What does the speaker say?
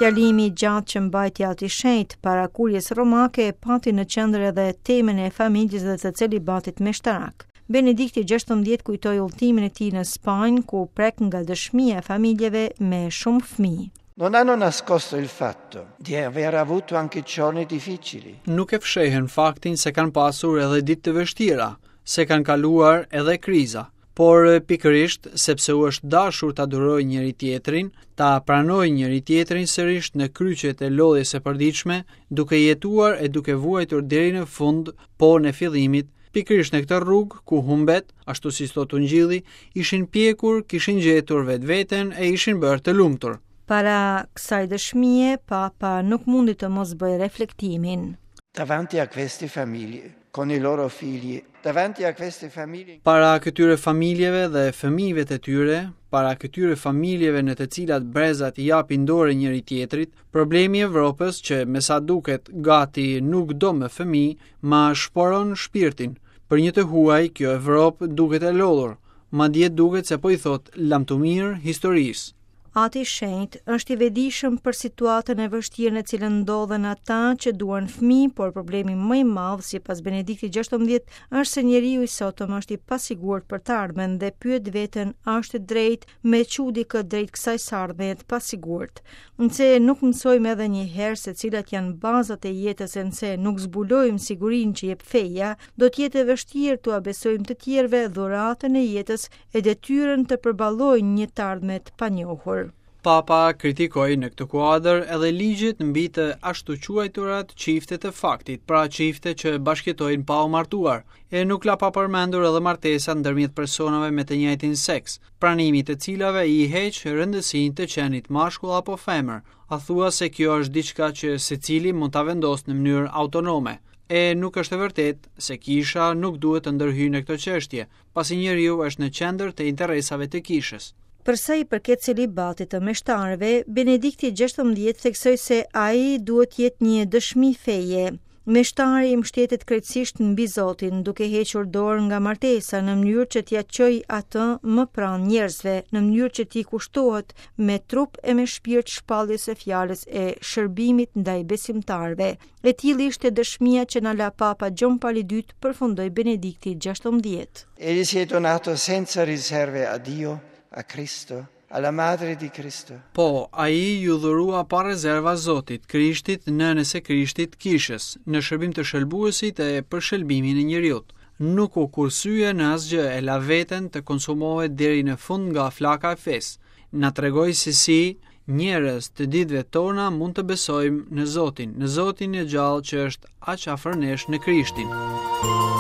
Fjalimi i gjatë që mbajti Ati i Shenjtë para Kuries Romake pati në qendër edhe temën e familjes dhe të celibatit meshtarak. Benedikti XVI kujtoi udhëtimin e tij në Spanjë, ku u prek nga dëshmia e familjeve me shumë fëmijë. Non hanno nascosto il fatto di aver avuto anche giorni difficili. Nuk e fshehën faktin se kanë pasur edhe ditë të vështira, se kanë kaluar edhe kriza, por pikërisht sepse u është dashur ta durojnë njëri-tjetrin, ta pranojnë njëri-tjetrin sërish në kryqet e lodhjes së përditshme, duke jetuar e duke vuajtur deri në fund po-në e fillimit, pikërisht në këtë rrugë ku humbet, ashtu siç thotë Ungjilli, ishin pjekur, kishin gjetur vetveten e ishin bërë të lumtur. Para kësaj dëshmie, Papa nuk mundi të mos bëjë reflektimin. Davanti a queste famiglie, con i loro figli, davanti a queste famiglie. Para këtyre familjeve dhe fëmijëve të tyre, para këtyre familjeve në të cilat brezat i japin dorë njëri-tjetrit, problemi i Evropës që me sa duket gati nuk do më fëmijë, ma shporon shpirtin. Për një të huaj, kjo Evropë duket e lodhur, madje duket se po i thotë lamtumirë historisë. Ati i Shenjtë është i vetëdijshëm për situatën e vështirë në cilën ndodhen ata që duan fëmijë, por problemi më i madh, sipas Benediktit XVI, është se njeriu i sotëm është i pasigurt për të ardhmen dhe pyet veten a është e drejtë me çu dikë drejt kësaj së ardhmeje të pasigurt. Nëse nuk mësojmë edhe një herë se cilat janë bazat e jetës e nëse nuk zbulojmë sigurinë që jep feja, do të jetë e vështirë t'ua besojmë të tjerëve dhuratën e jetës e detyrën të përballojnë një të ardhme të panjohur. Papa kritikoi në këtë kuadër edhe ligjet mbi të ashtuquajturat çifte të faktit, pra çifte që bashkëjetojnë pa u martuar, e nuk la pa përmendur edhe martesat ndërmjet personave me të njëjtin seks, pranimi i të cilave i heq rëndësinë të qenit mashkull apo femër, a thua se kjo është diçka që secili mund ta vendosë në mënyrë autonome. E nuk është e vërtetë se kisha nuk duhet të ndërhyjë në këto çështje, pasi njeriu është në qendër të interesave të kishës. Për sa i përket celibatit të meshtarëve, Benedikti XVI theksoi se ai duhet të jetë një dëshmi feje. Meshtari mbështetet krejtësisht mbi Zotin, duke hequr dorë nga martesa në mënyrë që t'ia çojë atë më pranë njerëzve, në mënyrë që t'i kushtohet me trup e me shpirt shpalljes së fjalës e shërbimit ndaj besimtarëve. E tillë ishte dëshmia që na la Papa Gjon Pali II, përfundoi Benedikti XVI. Egli si è donato senza riserve a Dio, a Cristo, alla Madre di Cristo. Po, ai iu dhurua pa rezerva Zotit, Krishtit, Nënës së Krishtit, Kishës, në shërbim të shëlbuesit e për shëlbimin e njeriut. Nuk u kursye në asgjë e la veten të konsumohet deri në fund nga flaka e fesë. Na tregoi se si Njerëz të ditëve tona mund të besojmë në Zotin, në Zotin e gjallë që është aq afër nesh në Krishtin.